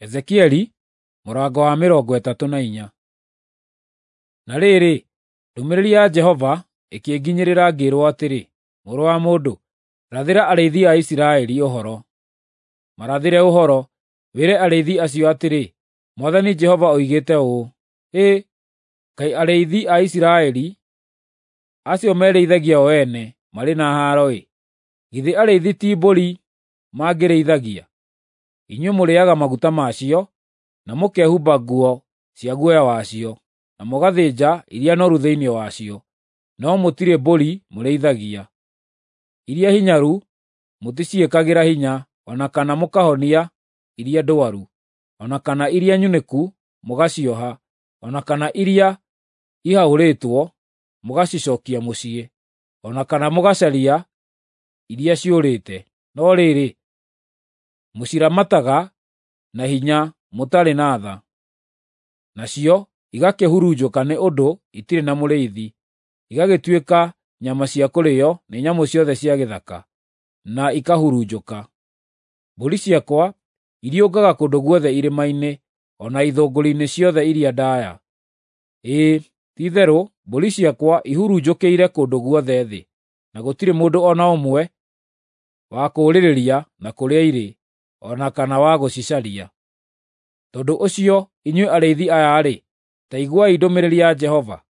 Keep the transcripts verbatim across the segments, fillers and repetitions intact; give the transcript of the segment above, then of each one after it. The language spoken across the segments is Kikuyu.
Ezekieli mũrango wa mĩrongo ĩtatũ na inya. Na rĩrĩ, ndũmĩrĩri ya Jehova ĩkĩnginyĩrĩra ngĩĩrwo atĩrĩ, Mũrũ wa mũndũ, rathĩra arĩithi a Isiraeli ũhoro. Marathĩre ũhoro, wĩre arĩithi acio atĩrĩ, Mwathani Jehova oigĩte ũũ: Hĩ, kaĩ arĩithi a Isiraeli, acio merĩithagia o ene, marĩ na haaro-ĩ! Githĩ arĩithi ti mbũri mangĩrĩithagia? Inyuĩ mũrĩĩaga maguta macio, na mũkehumba nguo cia guoya wacio, na mũgathĩnja iria noru thĩinĩ wacio, no mũtirĩ mbũri mũrĩithagia. Iria hinyaru mũticiĩkagĩra hinya, o na kana mũkahonia iria ndwaru, o na kana iria nyunĩku mũgacioha, o na kana iria ihahũrĩtwo mũgacicookia mũciĩ, o na kana mũgacaria iria ciũrĩte. No rĩrĩ, mũciramataga na hinya mũtarĩ na tha, nacio igakĩhurunjũka nĩ ũndũ itirĩ na mũrĩithi, igagĩtuĩka nyama cia kũrĩĩo nĩ nyamũ ciothe cia gĩthaka, na ikahurunjũka. Mbũri ciakwa iriũngaga kũndũ guothe irĩma-inĩ, o na ithũngũri-inĩ ciothe iria ndaaya. Ĩĩ, ti-itherũ mbũri ciakwa ihurunjũkĩire kũndũ guothe thĩ, na gũtirĩ mũndũ o na ũmwe wa kũũrĩrĩria na kũrĩa irĩ, o na kana wa gũcicaria. Tondũ ũcio, inyuĩ arĩithi aya-rĩ, ta iguai ndũmĩrĩri ya Jehova.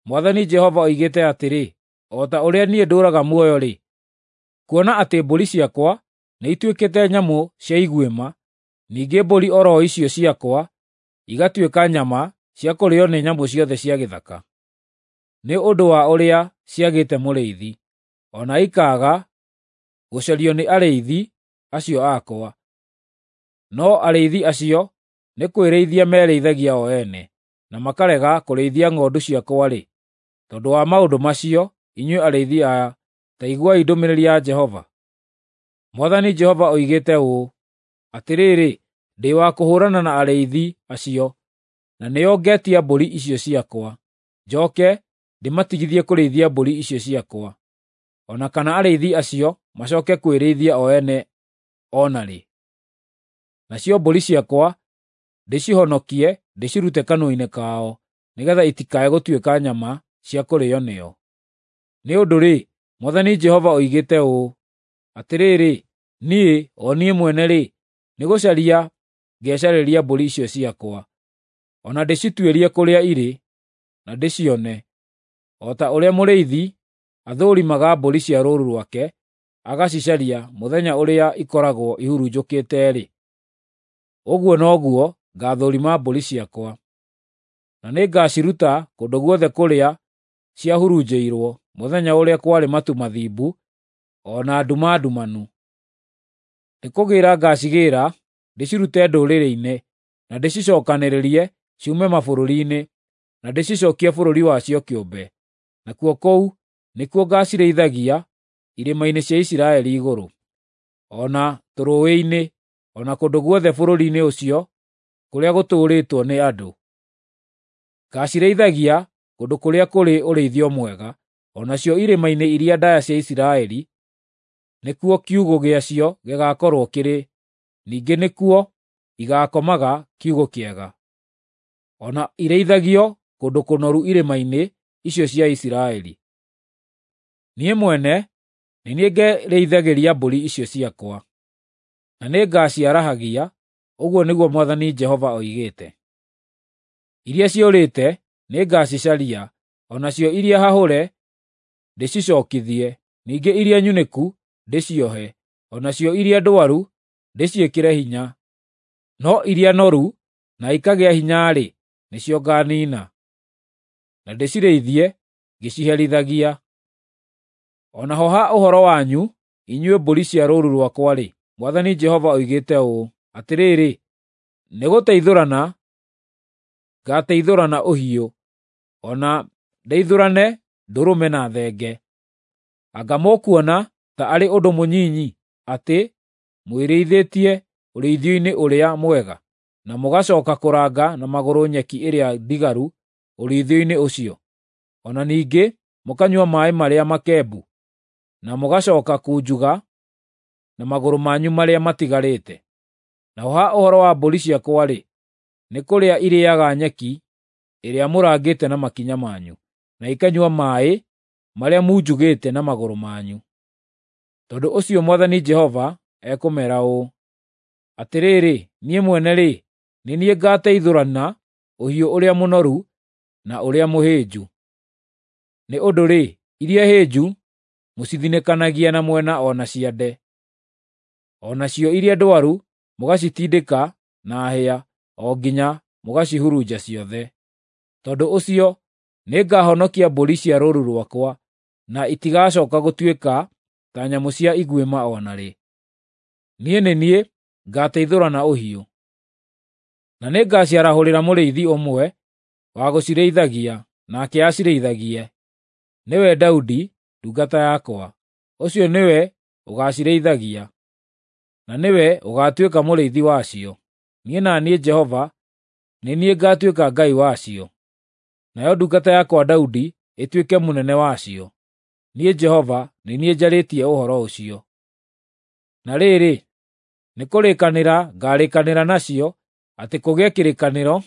Mwathani Jehova oigĩte atĩrĩ, o ta ũrĩa niĩ ndũũraga muoyo-rĩ, kuona atĩ mbũri ciakwa nĩituĩkĩte nyamũ cia iguĩma, ningĩ mbũri o ro icio ciakwa igatuĩka nyama cia kũrĩĩo nĩ nyamũ ciothe cia gĩthaka, nĩ ũndũ wa ũrĩa ciagĩte mũrĩithi, o na ikaaga gũcario nĩ arĩithi acio akwa. No arĩithi acio nĩ kwĩrĩithia merĩithagia o ene, na makarega kũrĩithia ng'ondu ciakwa-rĩ, tondũ wa maũndũ macio, inyuĩ arĩithi aya, ta iguai ndũmĩrĩri ya Jehova. Mwathani Jehova oigĩte ũũ: Atĩrĩrĩ, ndĩ wa kũhũũrana na arĩithi acio, na nĩo ngetia mbũri icio ciakwa, njooke ndĩmatigithie kũrĩithia mbũri icio ciakwa, o na kana arĩithi acio macooke kwĩrĩithia o ene o na rĩ. Nacio mbũri ciakwa ndĩcihonokie ndĩcirute kanua-inĩ kao, nĩgeetha itikae gũtuĩka nyama cia kũrĩĩo nĩo. Nĩ ũndũ-rĩ, Mwathani Jehova oigĩte ũũ: Atĩrĩrĩ, niĩ, o niĩ mwene-rĩ, nĩgũcaria ngecarĩria mbũri icio ciakwa, o na ndĩcituĩrie kũrĩa irĩ, na ndĩcione, o ta ũrĩa mũrĩithi athũrimaga mbũri cia rũũru rwake agacicaria mũthenya ũrĩa ikoragwo ihurunjũkĩte-rĩ, ũguo noguo ngaathũrima mbũri ciakwa. Na nĩngaciruta kũndũ guothe kũrĩa ciahurunjĩirwo mũthenya ũrĩa kwarĩ matu mathimbu o na nduma ndumanu. Nĩkũgĩĩra ngaacigĩĩra ndĩcirute ndũrĩrĩ-inĩ, na ndĩcicookanĩrĩrie ciume mabũrũri-inĩ, na ndĩcicookie bũrũri wacio kĩũmbe. Nakuo kũu nĩkuo ngaacirĩithagia irĩma-inĩ cia Isiraeli igũrũ, o na tũrũũĩ-inĩ, o na kũndũ guothe bũrũri-inĩ ũcio kũrĩa gũtũũrĩtwo nĩ andũ. Ngaacirĩithagia kũndũ kũrĩa kũrĩ ũrĩithio mwega, o nacio irĩma-inĩ iria ndaaya cia Isiraeli nĩkuo kiugũ gĩacio gĩgaakorwo kĩrĩ, ningĩ nĩkuo igaakomaga kiugũ kĩega, o na irĩithagio kũndũ kũnoru irĩma-inĩ icio cia Isiraeli. Niĩ mwene nĩ niĩ ngerĩithagĩria mbũri icio ciakwa, na nĩngaciarahagia, ũguo nĩguo Mwathani Jehova oigĩte. Iria ciũrĩte nĩngacicaria, o nacio iria hahũre ndĩcicookithie, ningĩ iria nyunĩku ndĩciohe, o nacio iria ndwaru ndĩciĩkĩre hinya. No iria noru na ikagĩa hinya-rĩ, nĩcio ngaaniina, na ndĩcirĩithie ngĩciherithagia. O naho ha ũhoro wanyu, inyuĩ mbũri cia rũũru rwakwa-rĩ, Mwathani Jehova oigĩte ũũ: Atĩrĩrĩ, nĩgũteithũrana ngaateithũrana ũhiũ, o na ndeithũrane ndũrũme na thenge. Anga mũkuona ta arĩ ũndũ mũnyinyi atĩ mwĩrĩithĩtie ũrĩithio-inĩ ũrĩa mwega, na mũgacooka kũranga na magũrũ nyeki ĩrĩa ndigaru ũrĩithio-inĩ ũcio, o na ningĩ mũkanyua maaĩ marĩa makembu, na mũgacooka kunjuga na magũrũ manyu marĩa matigarĩte? Naho ha ũhoro wa mbũri ciakwa-rĩ, nĩ kũrĩa irĩĩaga nyeki ĩrĩa mũrangĩte na makinya manyu, na ikanyua maaĩ marĩa munjugĩte na magũrũ manyu. Tondũ ũcio Mwathani Jehova ekũmeera ũũ: Atĩrĩrĩ, niĩ mwene-rĩ, nĩ niĩ ngateithũrana ũhiũ ũrĩa mũnoru na ũrĩa mũhĩnju. Nĩ ũndũ-rĩ, iria hĩnju mũcithinĩkanagia na mwena o na ciande, o nacio iria ndwaru mũgacitindĩka na hĩa o nginya mũgacihurunja ciothe. Tondũ ũcio nĩngahonokia mbũri cia rũũru rwakwa, na itigacooka gũtuĩka ta nyamũ cia iguĩma o na rĩ. Niĩ nĩ niĩ ngateithũrana ũhiũ. Na nĩngaciarahũrĩra mũrĩithi ũmwe wa gũcirĩithagia, nake acirĩithagie, nĩwe Daudi ndungata yakwa. Ũcio nĩwe ũgaacirĩithagia, na nĩwe ũgaatuĩka mũrĩithi wacio. Niĩ na niĩ Jehova nĩ niĩ ngaatuĩka Ngai wacio, nayo ndungata yakwa Daudi ĩtuĩke mũnene wacio. Niĩ Jehova nĩ niĩ njarĩtie ũhoro ũcio. Na rĩrĩ, nĩkũrĩkanĩra ngaarĩkanĩra nacio atĩ kũgĩe kĩrĩkanĩro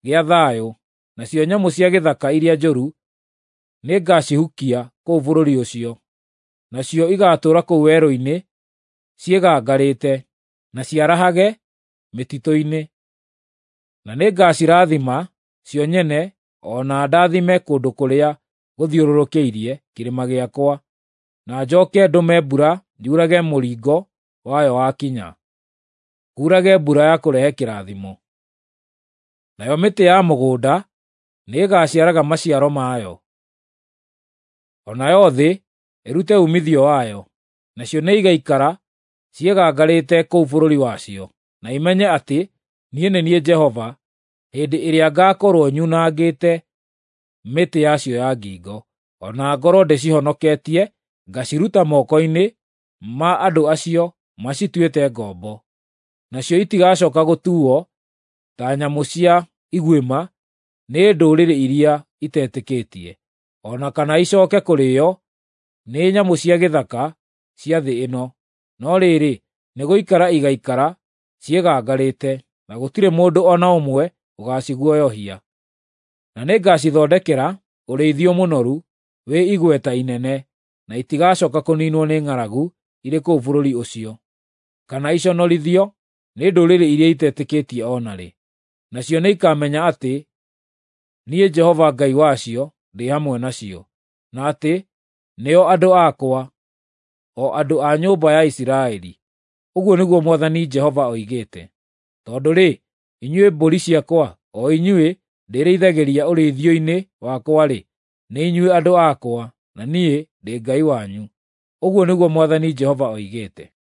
gĩa thayũ, nacio nyamũ cia gĩthaka iria njũru nĩngacihukia kũu bũrũri ũcio. Nacio igaatũũra kũu werũ-inĩ ciĩgangarĩte, na ciarahage mĩtitũ-inĩ. Na nĩngacirathima cio nyene o na ndathime kũndũ kũrĩa gũthiũrũrũkĩirie kĩrĩma gĩakwa, na njooke ndũme mbura yurage mũringo wayo wakinya, kuurage mbura ya kũrehe kĩrathimo. Nayo mĩtĩ ya mũgũnda nĩĩgaciaraga maciaro mayo, o nayo thĩ ĩrute uumithio wayo, nacio nĩigaikara ciĩgangarĩte kũu bũrũri wacio, na imenye atĩ niĩ nĩ niĩ Jehova, hĩndĩ ĩrĩa ngaakorwo nyunangĩte mĩtĩ yacio ya ngingo, o na ngorwo ndĩcihonoketie ngaciruta moko-inĩ ma andũ acio macituĩte ngombo. Nacio itigacooka gũtuuo ta nyamũ cia iguĩma nĩ ndũrĩrĩ iria itetĩkĩtie, o na kana icooke kũrĩĩo nĩ nyamũ cia gĩthaka cia thĩ ĩno. No rĩrĩ, nĩgũikara igaikara ciĩgangarĩte, na gũtirĩ mũndũ o na ũmwe ũgaaciguoyohia. Na nĩngacithondekera ũrĩithio mũnoru wĩ igweta inene, na itigacooka kũniinwo nĩ ng'aragu irĩ kũu bũrũri ũcio, kana iconorithio nĩ ndũrĩrĩ iria itetĩkĩtie o na rĩ. Nacio nĩikamenya atĩ niĩ Jehova Ngai wacio ndĩ hamwe nacio, na atĩ nĩo andũ akwa, o andũ a nyũmba ya Isiraeli. Ũguo nĩguo Mwathani Jehova oigĩte. Tondũ-rĩ, inyuĩ mbũri ciakwa, o inyuĩ ndĩrĩithagĩria ũrĩithio-inĩ wakwa-rĩ, nĩ inyuĩ andũ akwa, na niĩ ndĩ Ngai wanyu. Ũguo nĩguo Mwathani Jehova oigĩte.